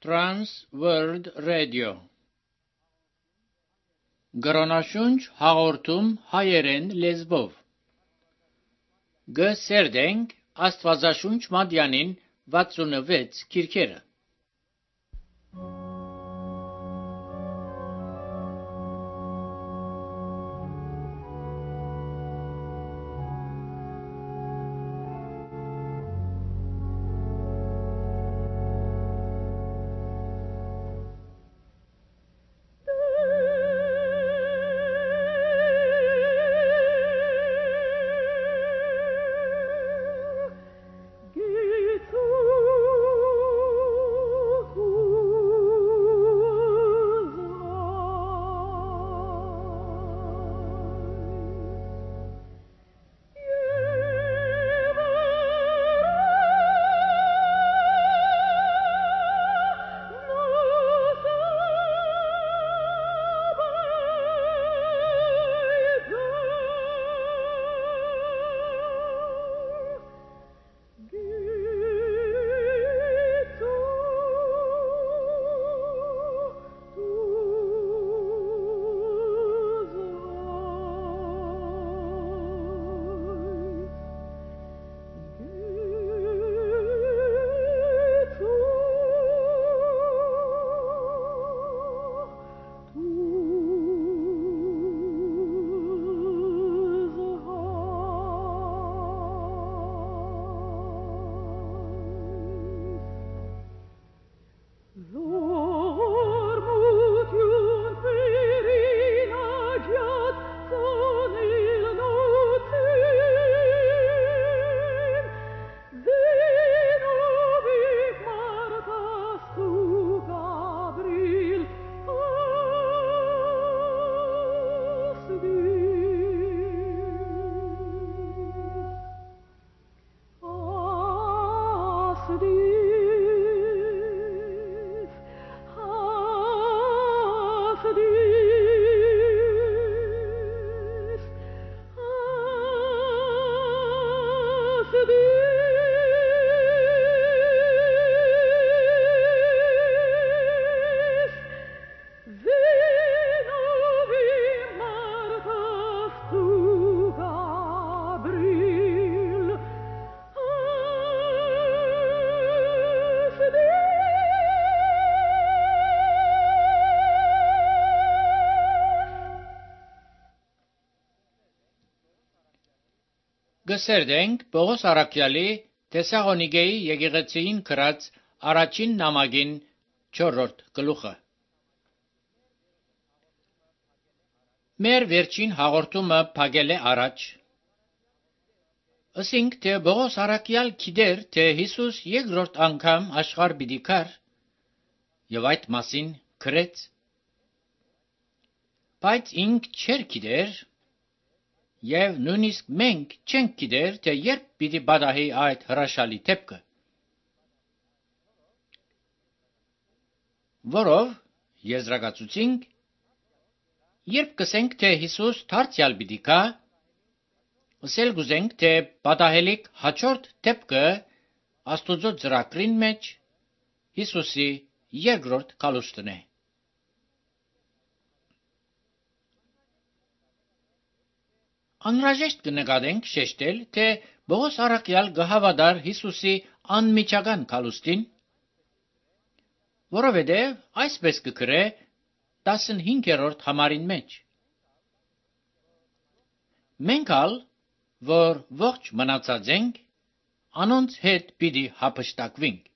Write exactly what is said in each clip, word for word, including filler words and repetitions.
Trans World Radio Գրոնաշունչ հաղորդում հայերեն լեզվով Գսերդենք Աստվածաշունչ Մատյանին վաթսունվեց քիրքերը Գսերդենք Պողոս Արաքյալի Թեսաղոնիկեի եկեղեցին գրած առաջին նամակին չորրորդ գլուխը Մեր վերջին հաղորդումը փակել է առաջ Ասինք թե Պողոս Արաքյալ գիտեր թե Հիսուս երկրորդ անգամ աշխարհ պիտի գար եւ այդ մասին գրեց Բայց ինք չէր գիտեր Եվ նույնիսկ մենք չենք գիտեր, թե երբ պիտի պատահի այդ հրաշալի դեպքը։ Որով եզրակացուցինք, երբ կսենք, թե Հիսուս դարձյալ պիտի գա, ասել գուզենք, թե պատահելիք հաջորդ դեպքը Աստուծո ծրագրին մեջ Հիսուսի երկրորդ գալուստն է։ Անհրաժեշտ կնկատենք շեշտել, թե Պողոս Արաքյալ գհավատար Հիսուսի անմիջական գալուստին, որովհետև այսպես կգրե տասնհինգերորդ համարին մեջ։ Մենք ալ, որ ողջ մնացած ենք, անոնց հետ պիտի հափշտակվենք։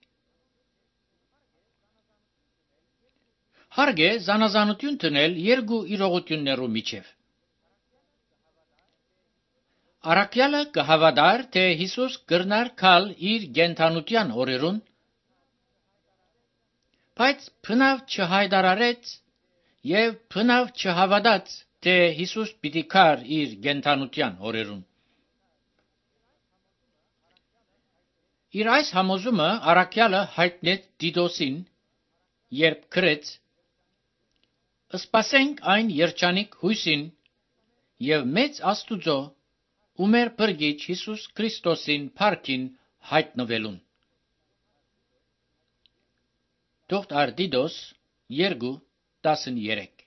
Հարկ է զանազանություն տնել երկու իրողություններու միջև։ Արաքյալը կհավատար, թե Հիսուս կրնար գալ իր գենթանության օրերուն, բայց բնավ չհայտարարեց եւ բնավ չհավատաց, թե Հիսուս պիտի գար իր գենթանության օրերուն։ Իր այս համոզումը Արաքյալը հայտնեց Տիտոսին, երբ գրեց. «Սպասենք այն երջանիկ հույսին եւ մեծ Աստուծո ու մեր Փրկիչ Հիսուս Քրիստոսին փառքին հայտնվելուն»։ Թողտ արդիդոս երկու տասներեք։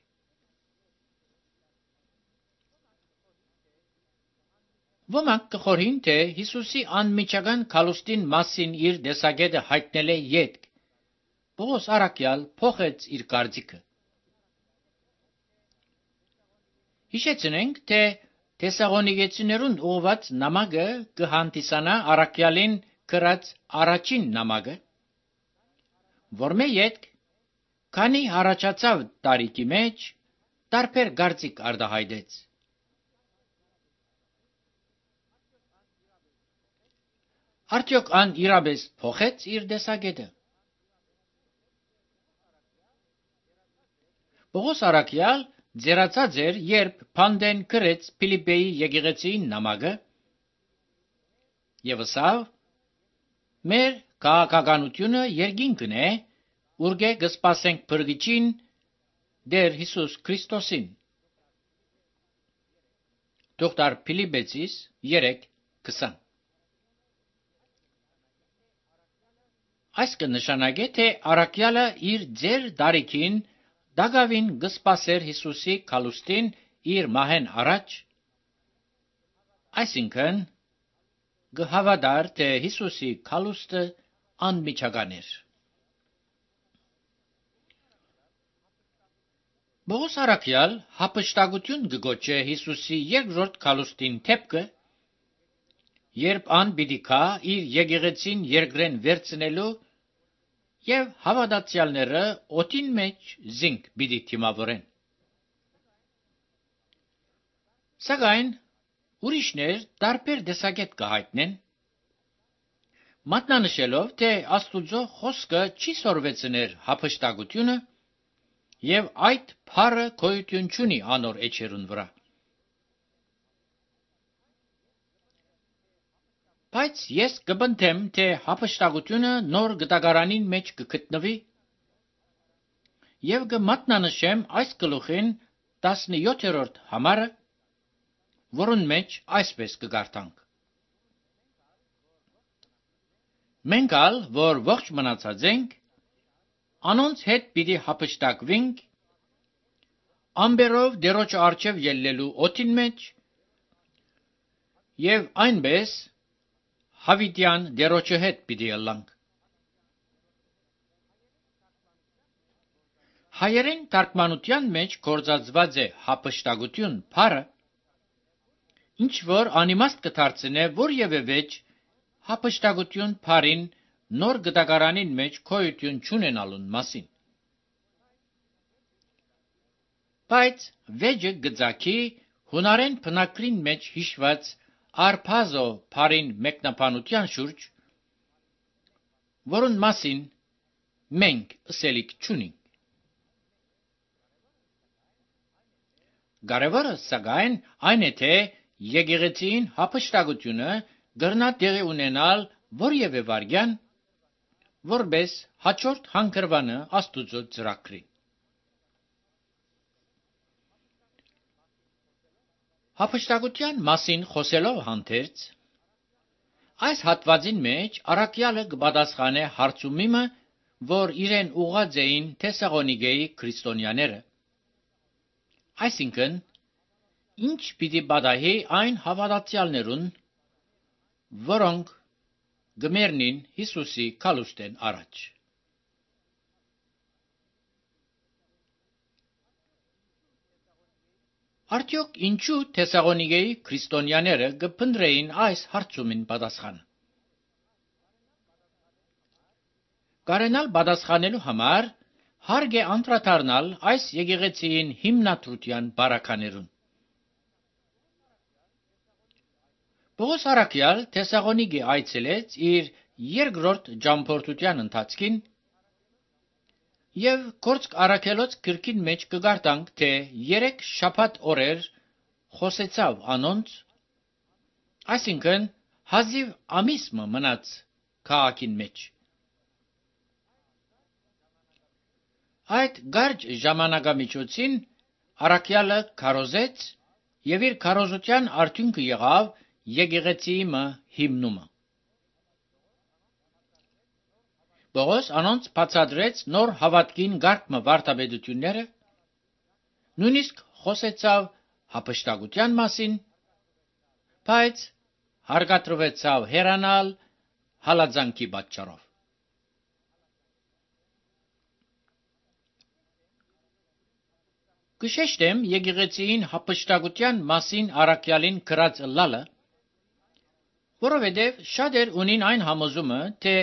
Ոմանք կխորհին, թե Հիսուսի անմիջական քալուստին մասին իր դեսագետը հայտնել է ետք, Պողոս առաքյալ փոխեց իր կարծիքը։ Հիշեցնենք, թե Թեսաղոնիկեցիներուն ուղված նամակը կհանդիսանա առաքյալին գրած առաջին նամակը, որմե ետք քանի առաջացավ տարիքի մեջ տարբեր կարծիք արտահայտեց։ Արդյոք ան իրապես փոխեց իր դեսագետը։ Պողոս առաքյալ ձեռացած էր, երբ Փանդեն գրեց Փիլիպպեի եկեղեցին նամակը, եւ ասավ. մեր քաղաքականությունը երկինքն է, ուրգե կսպասենք փրկիչին Տեր Հիսուս Քրիստոսին։ Դոկտոր Փիլիպպեցիս երեք քսան։ Այս կնշանակե, թե առաքյալը իր ձեր դարիքին դակավին կսպասեր Հիսուսի քալուստին իր մահեն առաջ, այսինքն կհավատար, թե Հիսուսի քալուստը անմիջական էր։ Պողոս առաքյալ հափշտակություն կգոչե Հիսուսի երկրորդ քալուստին դեպքը, երբ ան պիտի գա իր եկեղեցին երկրեն վերցնելու եւ հավատացյալները օդին մեջ զինք պիտի թիմավորեն։ Սակայն ուրիշներ տարբեր տեսակետ կհայտնեն, մատնանշելով, թե Աստուծո խոսքը չի սորվեցներ հափշտակությունը եւ այդ փառը գոյություն չունի անոր էջերուն վրա։ Բայց ես կբնթեմ, թե հափշտակությունը նոր գտակարանին մեջ կգտնվի եւ կմատնանշեմ այս գլուխին տասնյոթերորդ համարը, որուն մեջ այսպես կգարտանք. Մենք ալ, որ ողջ մնացած ենք, անոնց հետ պիտի հափշտակվենք, ամբերով դերոջ արջև ելլելու օդին մեջ եւ այնպես հավիտյան դերոջը հետ պիտի ելանք։ Հայերեն թարգմանության մեջ գործածված է հափշտակություն բառը, ինչ որ անիմաստ կդարձնե որևէ վեճ հափշտակություն բառին նոր գտակարանին մեջ գոյություն չունենալուն մասին։ Բայց վեճը գծակի հունարեն բնակրին մեջ հիշված արփազո բառին մեկնաբանության շուրջ, որուն մասին մենք ըսելիք չունենք։ Կարևորը սակայն այն է, թե եկեղեցին հափշտակությունը կրնա տեղի ունենալ որևէ վարքյան, որպես հաջորդ հանգրվանը Աստուծո ծրագրին։ Հափշտակության մասին խոսելով հանդերձ, այս հատվածին մեջ առաքյալը կպատասխանե հարցումիմը, որ իրեն ուղղած էին Թեսաղոնիկեի քրիստոնյաները, այսինքն, ինչ պիտի պատահի այն հավատացյալներուն, որոնք կմեռնին Հիսուսի քալուստեն առաջ։ Արդյոք ինչու Թեսաղոնիկեի քրիստոնյաները կփնտրեին այս հարցումին պատասխանը։ Կարենալ պատասխանելու համար հարկ է անդրադառնալ այս եկեղեցիին հիմնադրության բարականերուն։ Պողոս առաքյալ Թեսաղոնիկե այցելեց իր երկրորդ ճամփորդության ընթացքին եւ Գործք առաքելոց գրքին մեջ կգարտանք, թե երեք շաբաթ օրեր խոսեցավ անոնց, այսինքն հազիվ ամիս մնաց քաղաքին մեջ։ Այդ կարճ ժամանակամիջոցին առաքյալը քարոզեց եւ իր քարոզության արդյունքը եղավ եկեղեցիի հիմնումը։ Պողոս անոնց բացատրեց նոր հավատքին գարկմը վարդապետությունները, նույնիսկ խոսեցավ հափշտակության մասին, բայց հարգադրվեցավ հեռանալ հալածանքի պատճառով։ Կշեշտեմ եկեղեցին հափշտակության մասին առաքյալին գրած ըլլալը, որովհետև շատեր ունին այն համոզումը, թե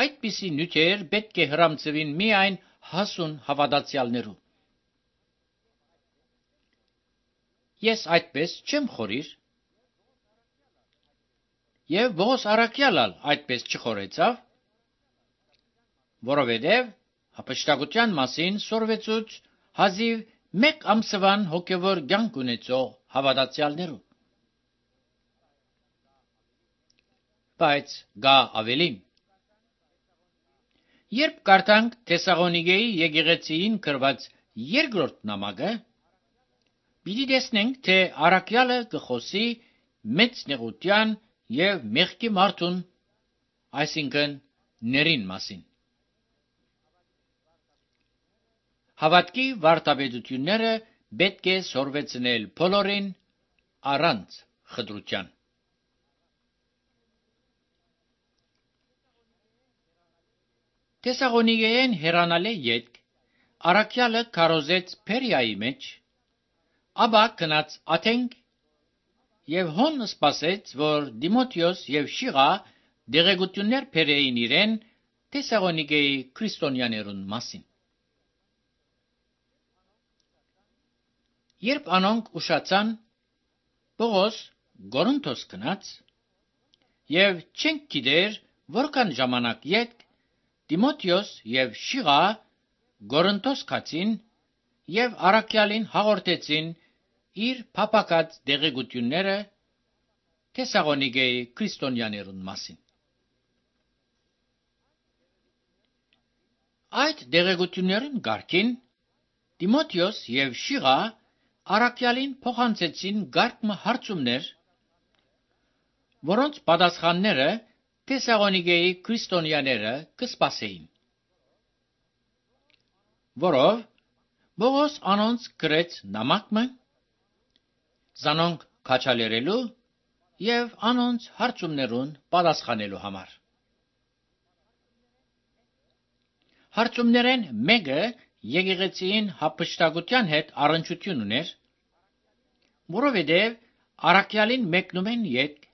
այդպիսի նյութեր պետք է հրամցվին միայն հասուն հավատացյալներու։ Ես այդպես չեմ խորիր, եւ Պողոս առաքյալը այդպես չխորեցավ, որովհետև հափշտակության մասին սորվեցուց հազիվ մեկ ամսվան հոգևոր կյանք ունեցող հավատացյալներու։ Բայց գա ավելին։ Երբ կարդանք Թեսաղոնիկեի եկեղեցիին գրված երկրորդ նամակը, պիտի տեսնենք, թե առաքյալը կխոսի մեծ նեղության եւ մեղքի մարդուն, այսինքն ներին մասին։ Հավատքի վարդապետությունները պետք է սորվեցնել բոլորին առանց խտրության։ Թեսաղոնիկեեն հեռանալի ետք առաքյալը քարոզեց Փերիայի մեջ, ապա գնաց Աթենք եւ հոն սպասեց, որ Դիմոթեոս եւ Շիղա դեղեցություններ բերեին իրեն Թեսաղոնիկեի քրիստոնյաներուն մասին։ Երբ անոնք ուշացան, Պողոս Կորինթոս գնաց եւ չենք գիտեր որքան ժամանակ ետք Դիմոթեոս եւ Շիղա Կորինթոս գացին եւ առաքյալին հաղորդեցին իր փափակած դեղեցությունները Թեսաղոնիկեի քրիստոնյաներուն մասին։ Այդ դեղեցություններուն գարկին Դիմոթեոս եւ Շիղա առաքյալին փոխանցեցին գարկմը հարցումներ, որոնց պատասխանները Թեսաղոնիկեի քրիստոնյաները կսպասեին, որով Պողոս անոնց գրեց նամակը, զանոնք քաջալերելու եւ անոնց հարցումներուն պատասխանելու համար։ Հարցումներեն մեկը եկեղեցին հափշտակության հետ առնչություն ուներ, որովհետև առաքյալին մեկնում են ետք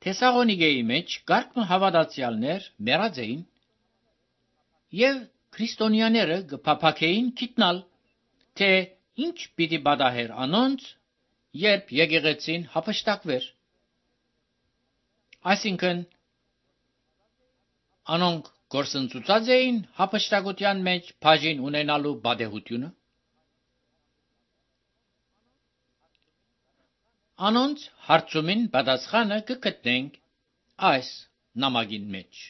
Թեսաղոնիկեի մեջ գարկմը հավատացյալներ մեռած էին եւ քրիստոնյաները կփափակեին գիտնալ, թե ինչ պիտի պատահեր անոնց, երբ եկեղեցին հափշտակվեր։ Այսինքն անոնք գործընծուցած էին հափշտակության մեջ բաժին ունենալու պատեհությունը։ Անոնց հարցումին պատասխանը կգտնենք այս նամակին մեջ։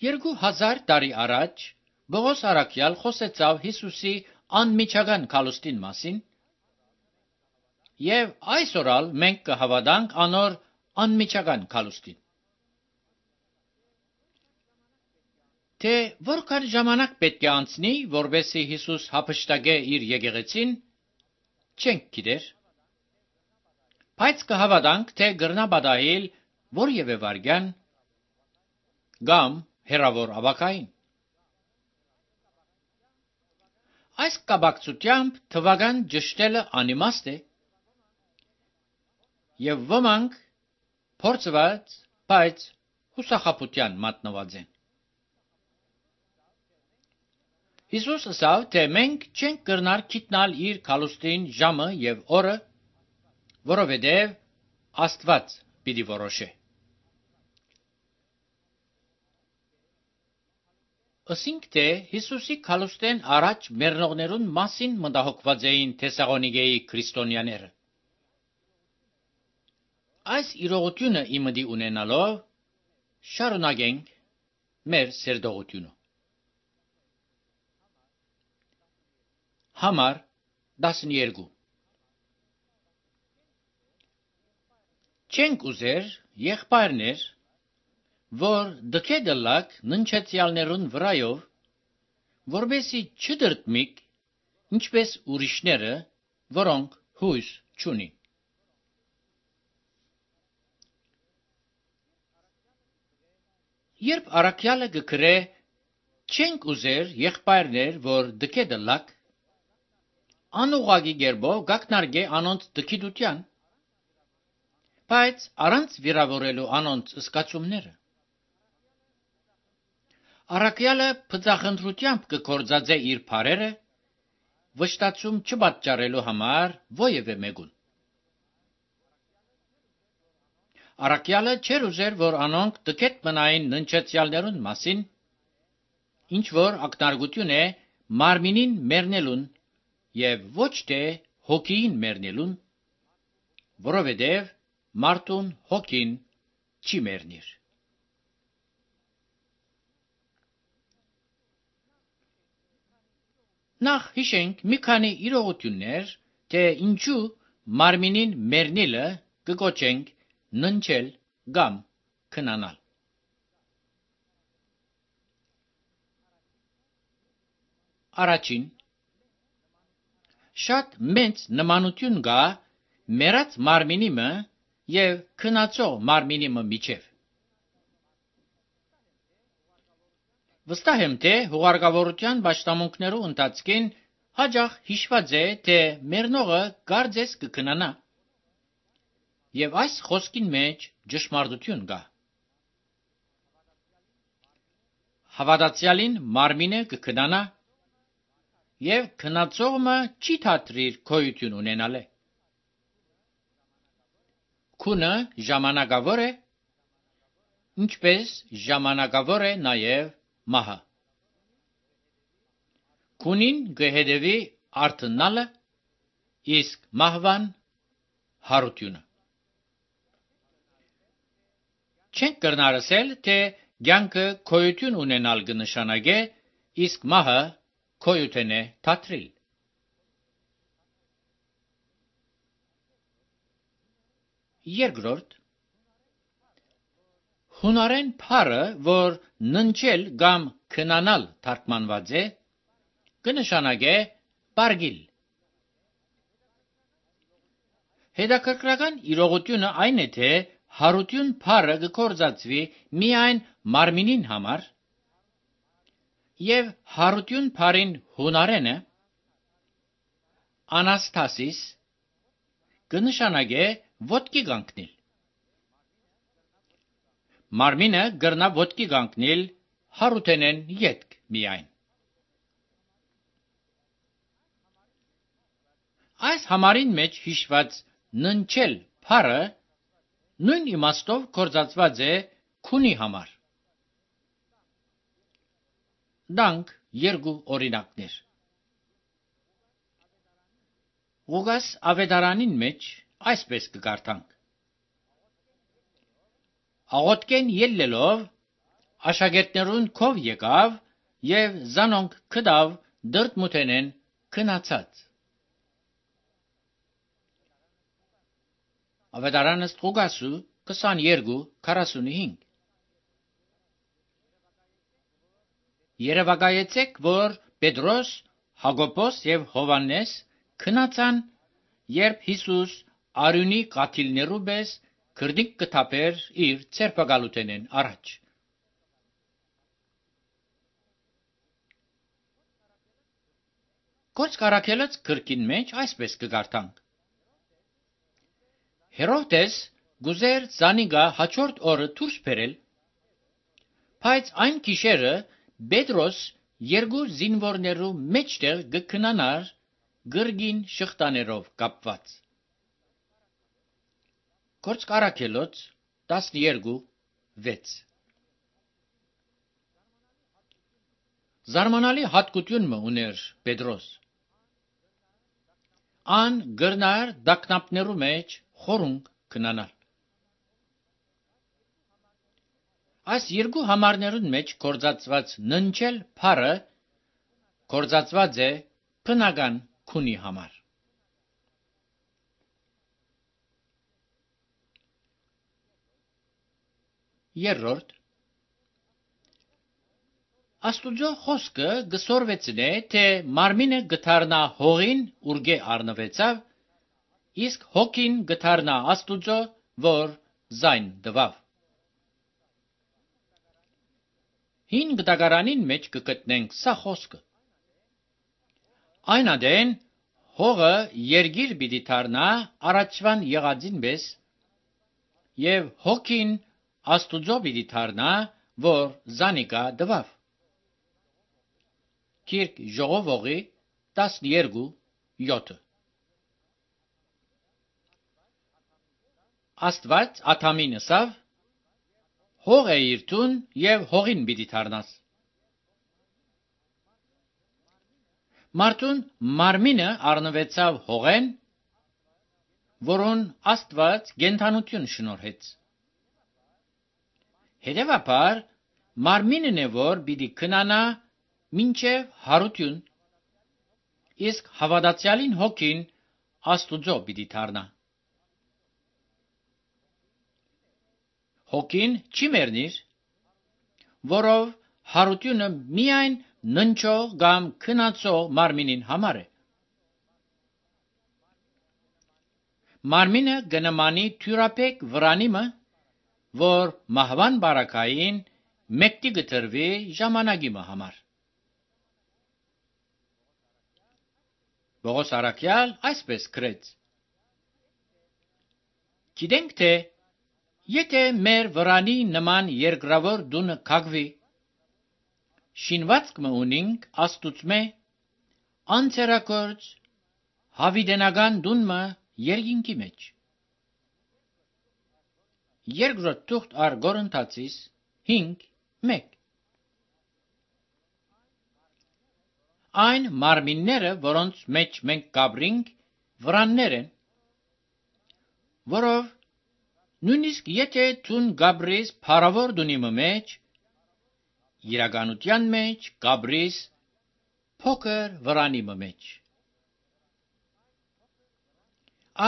Երկու հազար տարի առաջ Պողոս առաքյալ խոսեցավ Հիսուսի անմիջական գալուստին մասին, եւ այսօրալ մենք կհավատանք անոր անմիջական գալուստին։ Թե որքան ժամանակ պետք է անցնի, որբեսի Հիսուս հափշտակե իր եկեղեցին, չենք գիտեր, բայց կհավատանք, թե կրնա պատահել որևէ վայրկյան կամ հեռավոր ապագային։ Այս կապակցությամբ թվական ճշտելը անիմաստ է, եւ ոմանք փորձված, բայց հուսախաբության մատնված են։ Հիսուս ասավ, թե մենք չենք կրնար գիտնալ իր գալուստին ժամը եւ օրը, որովհետեւ Աստված պիտի որոշե։ Ասինք, թե Հիսուսի գալուստեն առաջ մեռնողներուն մասին մտահոգված էին Թեսաղոնիկեի քրիստոնյաները։ Այս իրողությունը իմդի ունենալով շարունակենք մեր սերտողությունը։ Համար տասներկու Չենք ուզեր եղբայրներ, որ դքե դլակ ննչեցյալներուն վրայով, որբեսի չդրտմիկ, ինչպես ուրիշները, որոնք հույս չունին։ Երբ առաքյալը գկրե չենք ուզեր եղբայրներ, որ դքե դլակ, անուղագի գերբով գակնարգե անոնց դքիդության, բայց առանց վիրավորելու անոնց սկացումները։ Առաքյալը փծախնդրությամբ կկործածե իր բարերը, վշտացում չպատճառելու համար ովևէ մեկուն։ Առաքյալը չեր ուզեր, որ անոնք դքետ մնային ննչեցյալներուն մասին, ինչ որ ակնարկություն է մարմինին մեռնելուն եւ ոչ թե հոգին մեռնելուն, որովհետեւ մարդուն հոգին չի մեռնիր։ Նախ հիշենք մի քանի իրողություններ, թե ինչու մարմինին մեռնելը կկոչենք ննչել կամ քնանալ։ Առաջին, շատ մեծ նմանություն կա մեռած մարմինիմը եւ քնացող մարմինիմը միջև։ Վստահ եմ, թե հուղարկավորության պաշտամունքներու ընթացքին հաջող հիշված է, թե մեռնողը կարծես կքնանա, եւ այս խոսքին մեջ ճշմարտություն կա։ Հավատացյալին մարմինը կքնանա եւ քնացողը չի թատրիր գոյություն ունենալը։ Քունը ժամանակավոր է, ինչպես ժամանակավոր է նաեւ մահը։ Քունին կհետևի արթնալը, իսկ մահվան հարությունը։ Չենք կրնար ասել, թե կյանքը գոյություն ունենալ կնշանակե, իսկ մահը գոյություն է թատրիլ։ Երկրորդ, հունարեն բառը, որ ննչել կամ քնանալ թարգմանված է, կնշանակե պարգիլ։ Հետաքրքրական իրողությունը այն է, թե հարություն բառը կգործածվի միայն մարմինին համար, եւ հարություն բառին հունարենը անաստասիս կնշանակե ոտքի կանգնել։ Մարմինը կրնա ոտքի կանգնել հարութենեն ետք միայն։ Այս համարին մեջ հիշված ննչել բառը նույն իմաստով գործածված է քունի համար։ Դանք երկու օրինակներ։ Ղուկաս ավետարանին մեջ այսպես կկարդանք. Աղոթքեն ելլելով աշակերտներուն քով եկավ եւ զանոնք կդավ դրտմութենեն քնացած։ Ավետարանը Ղուկասու քսաներկու քառասունհինգ։ Երևակայեցեք, որ Պետրոս, Հակոբոս եւ Հովանես քնացան, երբ Հիսուս արյունի կաթիլներու պես քրդիկ կթափեր իր ցերպակալութենեն առաջ։ Գործք առաքելոց գրքին մեջ այսպես կգարթանք. Հերովդես գուզեր զանիգա հաջորդ օրը դուրս բերել, բայց այն գիշերը Պետրոս երկու զինվորներու մեջտեղ կքնանար գրգին շղթաներով կապված։ Գործք առաքելոց տասներկու վեց։ Զարմանալի հատկություն մը ուներ Պետրոս։ Ան գրնար դակնապներու մեջ խորունգ քնանալ։ Այս երկու համարներուն մեջ գործածված ննչել բառը գործածված է բնական քունի համար։ Երրորդ Աստուծո խոսքը գսորվեցնե, թե մարմինը գթարնա հողին, ուրգե առնվեցավ, իսկ հոգին գթարնա Աստուծո, որ զայն դվավ։ Հին գտակարանին մեջ կգտնենք սա խոսքը։ Այն ադեն հողը երգիր պիտի դառնա առաջվան եղածին պես, եւ հոգին Աստուծո պիտի դառնա, որ զանիկա դվավ։ Կիրք ժողովողի տասներկու յոթ Աստված Աթամին ասավ. հող է իր տուն եւ հողին պիտի դառնաս։ Մարդուն մարմինը առնվեցավ հողեն, որոն Աստված գենթանություն շնորհեց։ Հետևաբար մարմինն է, որ պիտի քնանա մինչև հարություն, իսկ հավատացյալին հոգին Աստուծո պիտի դառնա։ Հոգին չի մեռնիր, որով հարությունը միայն ննչող կամ քնածող մարմինին համար է։ Մարմինը գնմանի թյուրապեք վրանիմը, որ մահվան բարակային մեկտի գտրվի ժամանակի համար։ Պողոս առաքյալ այսպես գրեց. Գիտենք, թե եթե մեր վրանի նման երկրավոր դունը կագվի, շինվածք մը ունինք Աստուծմե, անցերակորց հավիդենական դունմը երկինքի մեջ։ Երկրորդ թուղթ առ Կորինթացիս հինգ մեկ Այն մարմինները, որոնց մեջ մենք կաբրինք, վրաններ են, որով նույնիսկ եթե թուն գաբրիս փարավոր դունիմը մեջ, իրականության մեջ գաբրիս փոքր վրանիմը մեջ։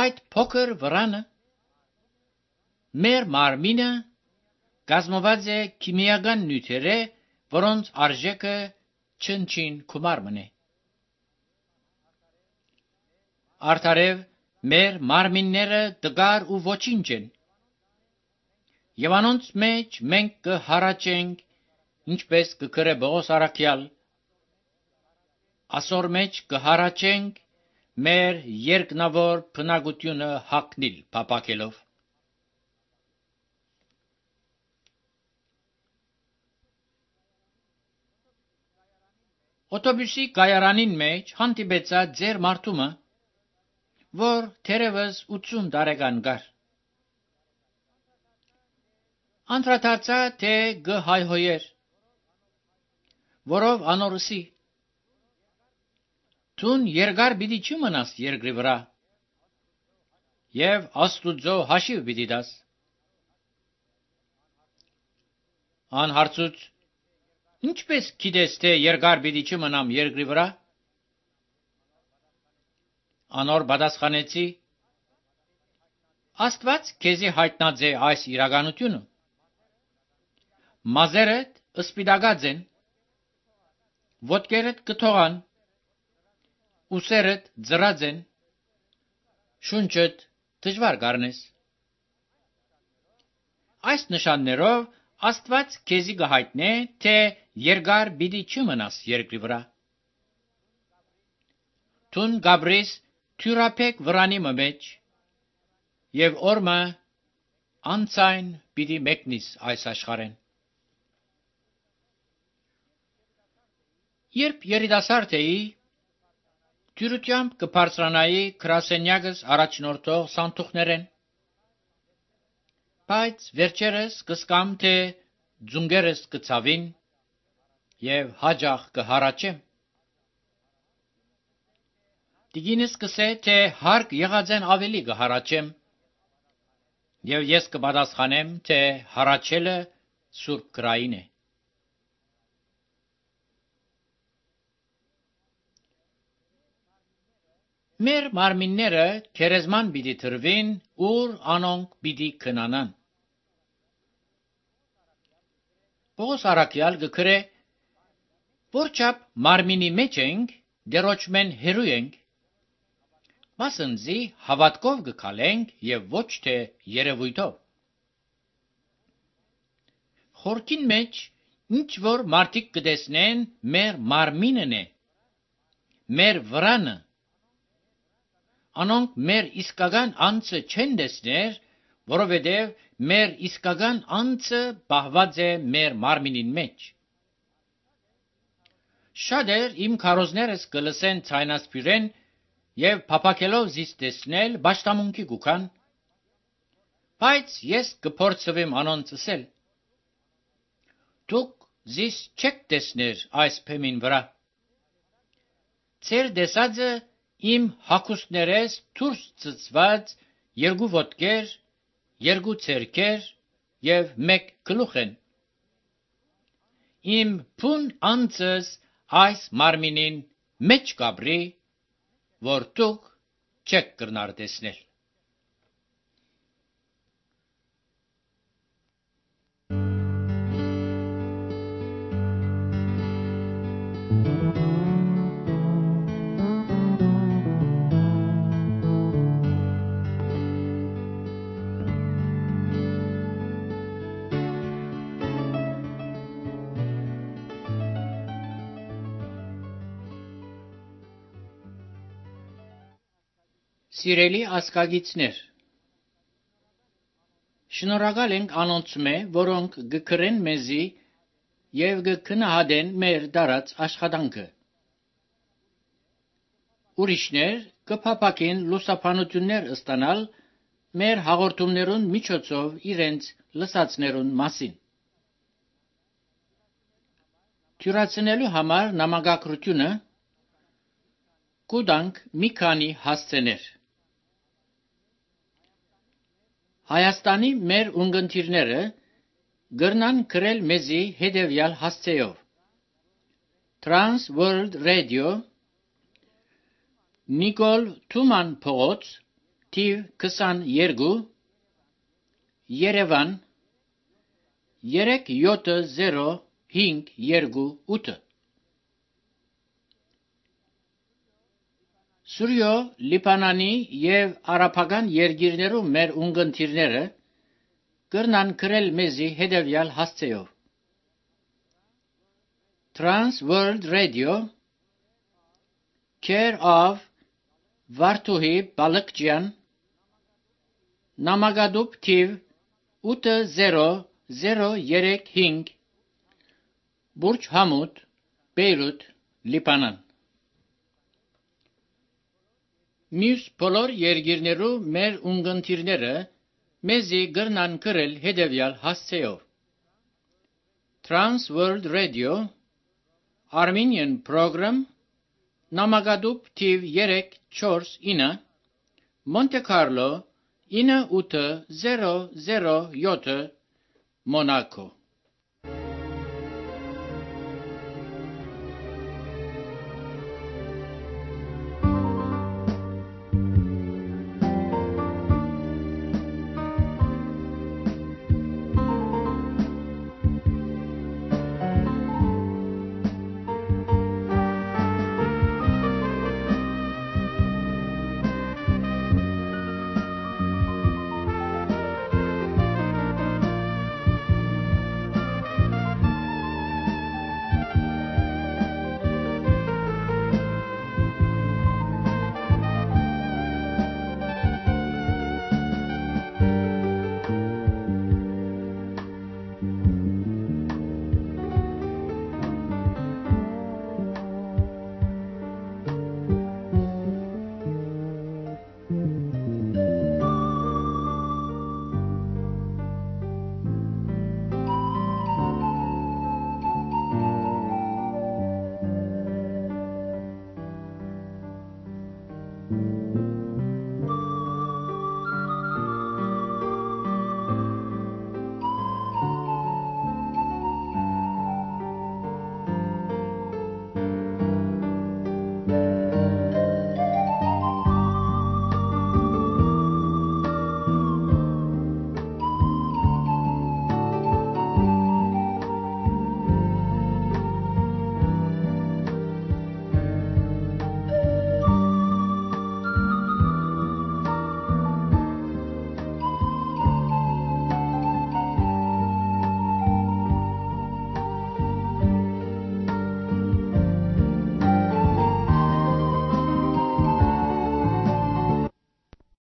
Այդ փոքր վրանը մեր մարմինը կազմված է քիմիական նյութերը, որոնց արժեքը չնչին կումարմն է։ Արդարև մեր մարմինները դգար ու ոչինչ են, եւ անոնց մեջ մենք կհարաճենք, ինչպես կգրե Պողոս առաքյալ, ասոր մեջ կհարաճենք մեր երկնավոր բնակությունը հագնիլ փապակելով։ Օտոբուսի կայարանին մեջ հանդիպեցա ձեր մարդումը, որ թերևս ութսուն տարեկան կար։ Անդրադարձա, թե գհայհոյեր, որով անորսի, թուն երկար պիտի չմնաս երկրի վրա, եւ Աստուծո հաշիվ պիտի տաս։ Անհարցուց, ինչպես գիտես, թե երկար պիտի չմնամ երկրի վրա։ Անոր պատասխանեցի. Աստված քեզի հայտնած է այս իրականությունը։ Մազերդ սպիտակած են, ոտքերդ կթողան, ուսերդ ձրած են, շունչդ դժվար կառնես։ Այս նշաններով Աստված քեզի կհայտնե, թե երկար պիտի չմնաս երկրի վրա։ Թուն գաբրիս թյուրապեք վրանի մեջ, եւ օրմը անցայն պիտի մեկնիս այս աշխարհեն։ Երբ երիտասարդ էի, թյուրությամբ կբարձրանայի գրասենյակս առաջնորդող սանդուղքներեն, բայց վերջերս կսկամ, թե ձունգերս կցավին եւ հաջող կհարաճեմ։ Տիկինս կսե, թե հարկ եղած են ավելի կհարաճեմ, եւ ես կպատասխանեմ, թե հառաչելը Սուրբ գրային է։ Մեր մարմինները քերեզման պիտի թրվին, ուր անոնք պիտի քնանան։ Պողոս առաքյալ գկրե, որչափ մարմինի մեջ ենք, դերոճմեն հերու ենք, մասնձի հավատքով գկալենք եւ ոչ թե երևույթով։ Խորքին մեջ ինչ որ մարդիկ կտեսնեն, մեր մարմինն է, մեր վրանը, անոնք մեր իսկական անձը չեն տեսներ, որովհետև մեր իսկական անձը պահված է մեր մարմինին մեջ։ Շատեր իմ քարոզներս կլսեն ցայնասպիրեն եւ փափակելով զիս տեսնել ճշտամունքի գուքան, բայց ես կփորձվեմ անոնց ասել. դուք զիս չեք տեսներ այս փեմին վրա։ Ձեր տեսածը իմ հագուստներես դուրս ծծված երկու ոտքեր, երկու ցերքեր եւ մեկ գլուխ են։ Իմ փուն անձս այս մարմինին մեջ կաբրի, որ դուք չեք կրնար տեսնել։ Սիրելի ասկագիցներ, շնորհակալ ենք անոնցմե, որոնք գկրեն մեզի եւ գքնահատեն մեր դարած աշխատանքը։ Ուրիշներ կփափակեն լուսաբանություններ ստանալ մեր հաղորդումներուն միջոցով իրենց լսածներուն մասին։ Թյուրացնելու համար նամակագրությունը կուտանք մի քանի հասցեներ։ Հայաստանի մեր ունգընտիրները գրնան գրել մեզի հետևյալ հասցեով. Trans World Radio, Նիկոլ Թուման փողոց, թիվ քսաներկու, Երևան, երեք յոթ զիրո հինգ երկու ութ։ Սուրյո, Լիբանանի եւ արաբական երկիրներում մեր ունգընտիրները գրնան գրել մեզի հետևյալ հասցեով. Trans World Radio, Care of Վարդուհի Բալկջյան, Նամակադուբ թիվ ութ զիրո զիրո երեք հինգ, Բուրջ Համուդ, Բեյրութ, Լիբանան։ Մյուս բոլոր երկիրներու մեր ունգընտիրները մեզի գրնան գրել հետևյալ հասցեով. Trans World Radio, Armenian Program, Նամակադուբ թիվ երեք չորս ինը, Monte Carlo ինը ութ զիրո զիրո յոթ, Մոնակո։